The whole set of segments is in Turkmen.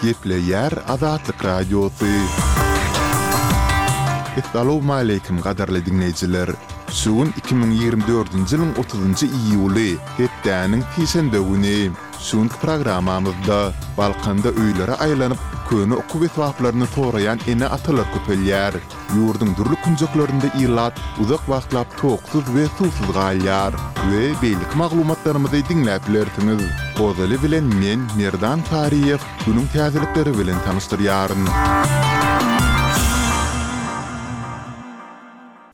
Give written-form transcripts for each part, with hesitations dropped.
Gepleýär Azatlyk Radiosy. Essalawmaleýkim gadyrly diňleýjiler! Şu gün 2024-nji ýylyň otuzynjy iýuly, hepdäniň sişenbe güni. Şu günki programmamyzda Balkanda öýlere aýlanyp, köne okuw esbaplaryny soraýan ene-atalar köpelýär. Ýurduň dürli künjeklerinde ilat uzak wagtlap toksuz we suwsuz galýar we beýleki maglumatlarymyzy diňläp bilersiňiz. Ozaly bilen men, Merdan Saryýew, günüň täzelikleri bilen tanyşdyrýaryn.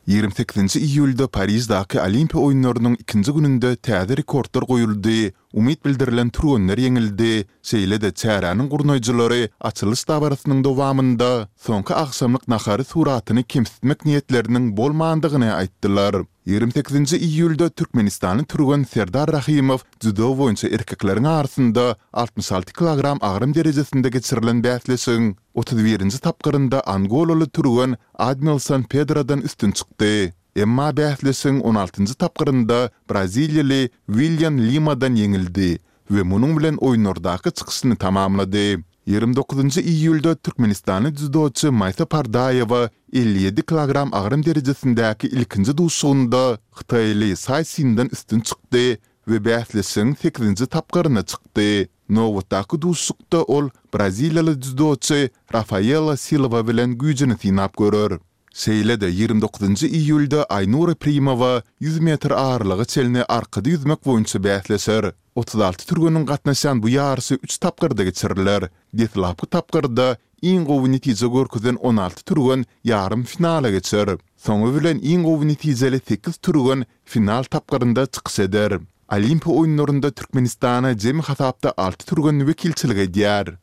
28-nji iýulda Pariždaky Olimpiýa oýunlarynyň ikinji gününde täze rekordlar goýuldy, Umyt bildirilen türgenler ýeňildi, şeýle-de çäräniň gurnaýjylary açylyş dabarasynyň dowamynda soňky agşamlyk nahary suratyny kemsitmek niýetleriniň bolmandygyny aýtdylar. 28-nji iýulda türkmenistanly türgen Serdar Rahymow dzýudo boýunça erkekleriň arasynda 66 kilogram agram derejesinde geçirilen bäsleşigiň 31-nji tapgyrynda angolaly türgen Admilson Pedrodan üstün çykdy. Emma bäsleşigiň on altynjy tapgyrynda braziliýaly Willian Limadan ýeňildi we munuň bilen oýunlardaky çykyşyny tamamlady. 29-njy iýulda türkmenistanly dzýudoçy Maýsa Pardaýewa 57 kilogram agram derejesindäki ilkinji duşuşygynda hytaýly Saý Sinden üstün çykdy we bäsleşigiň sekizinji tapgyryna çykdy. Nobatdaky duşuşykda ol braziliýaly dzýudoçy Rafaela Silwa bilen güýjüni synap görer. Şeýle-de, 29-njy iýulda Aýnura Primowa 100 metr aralyga çenli arkada ýüzmek boýunça bäsleşer. 36 türgeniň gatnaşýan bu ýaryşy üç tapgyrda geçiriler. Deslapky tapgyrda iň gowy netije görkezen 16 türgen ýarym finala geçer. Soňy bilen iň gowy netijeli sekiz türgen final tapgyrynda çykyş eder. Olimpiýa oýunlarynda Türkmenistana jemi hasapda alty türgen wekilçilik edýär.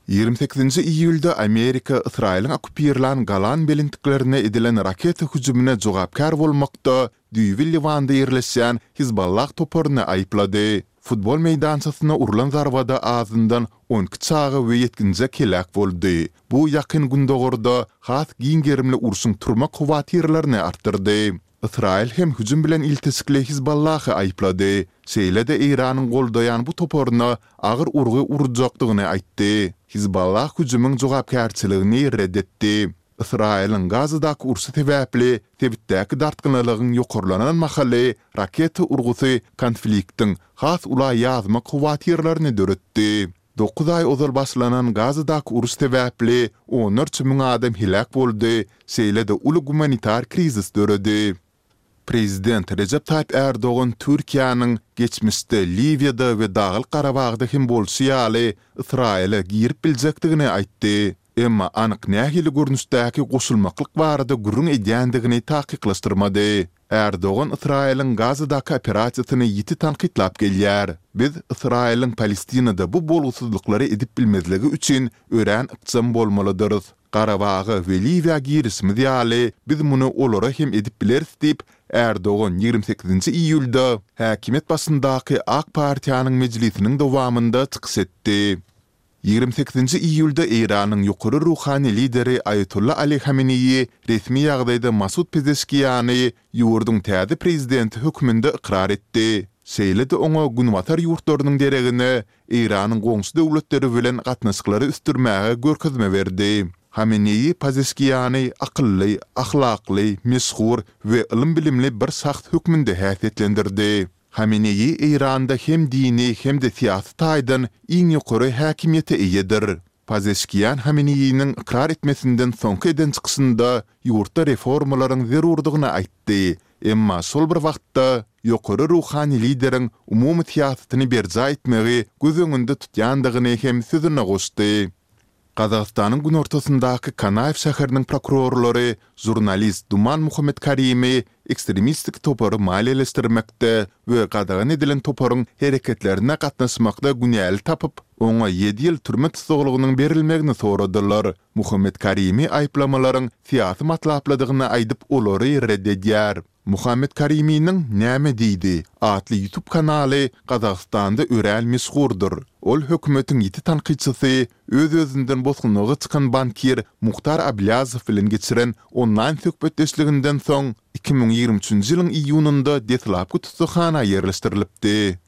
28-nji iýulda Amerika Ysraýylyň okkupirlän Golan belentliklerine edilen raketa hüjümine jogapkär bolmakda düýbi Liwanda ýerleşýän Hizballah toparyny aýyplady. Futbol meýdançasyna urlan zarbada azyndan 12 çaga we ýetginjek heläk boldy. Bu Ýakyn Gündogarda has giň gerimli urşuň turmak howatyrlaryny artdyrdy. Ysraýyl hem hüjüm bilen ilteşikli Hizballahy aýyplady, şeýle-de Eýranyň goldaýan bu toparyna agyr urgy urjakdygyny aýtdy. Hizballah hüjümiň jogapkärçiligini red etdi. Ysraýylyň Gazadaky urşy sebäpli sebitdäki dartgynlylygyň ýokarlanan mahaly raketa urgusy konfliktiň has ula ýazmak howatyrlaryny döretdi. Dokuz aý ozal başlanan Gazadaky uruş sebäpli onlarça müň adam heläk boldy, şeýle-de uly gumanitar krizis döredi. Prezident Rejep Taýyp Ärdogan Türkiýäniň geçmişde Liwiýada we Daglyk Garabagda hem bolşy ýaly Ysraýyla girip biljekdigini aýtdy. Emma anyk nähili görnüşdäki goşulmaklyk barada gürrüň edýändigini takyklaşdyrmady. Ärdogan Ysraýylyň Gazadaky operasiýasyny ýiti tankytlap gelýär. Biz Ysraýylyň Palestinada bu bolgusyzlyklary edip bilmezligi üçin örän ykjam bolmalydyrys. Garabaga we Liwiýa girişimiz ýaly, biz muny olara hem edip bileris diýip, Ärdogan 28-nji iýulda häkimiýet başyndaky Ak partiýanyň mejlisiniň dowamynda çykyş etdi. 28-nji iýulda Eýranyň ýokary ruhany lideri Aýatolla Ali Hameneýi resmi ýagdaýda Masud Pezeşkiýany ýurduň täze prezidenti hökmünde ykrar etdi. Şeýle-de oňa günbatar ýurtlarynyň deregine Eýranyň goňşy döwletleri bilen gatnaşyklary ösdürmäge görkezme berdi. Hameneýi Pezeşkiýany akylly, ahlakly, meşhur we ylym-bilimli bir şahs hökmünde häsiýetlendirdi. Hameneýi Eýranda hem dini hem-de syýasy taýdan iň ýokary häkimiýete eýedir. Pazeşkiýan Hameneýiniň ykrar etmesinden soňky eden çykyşynda ýurtda reformalaryň zerurdygyny aýtdy, emma şol bir wagtda ýokary ruhany lideriň umumy syýasatyny berjaý etmegi göz öňünde tutýandygyny hem sözüne goşdy. Gazagystanyň günortasyndaky Kanaýew şäheriniň prokurorlary žurnalist Duman Muhammetkarimi ekstremistik topary maliýeleşdirmekde we gadagan edilen toparyň hereketlerine gatnaşmakda günäli tapyp, oňa ýedi ýyl türme tussaglygynyň berilmegini soradylar. Muhammetkarimi aýyplamalaryň syýasy matlaplydygyny aýdyp, olary ret edýär. Muhammet Kariminiň Näme diýdi? atly YouTube kanaly Gazagystanda örän meşhurdyr. Ol hökümetiň ýiti tankytçysy, öz-özünden bosgunlyga çykan bankir Muhtar Ablýazow bilen geçiren onlaýn söhbetdeşliginden soň, 2023-nji ýylyň iýunynda deslapky tussaghana ýerleşdirilipdi.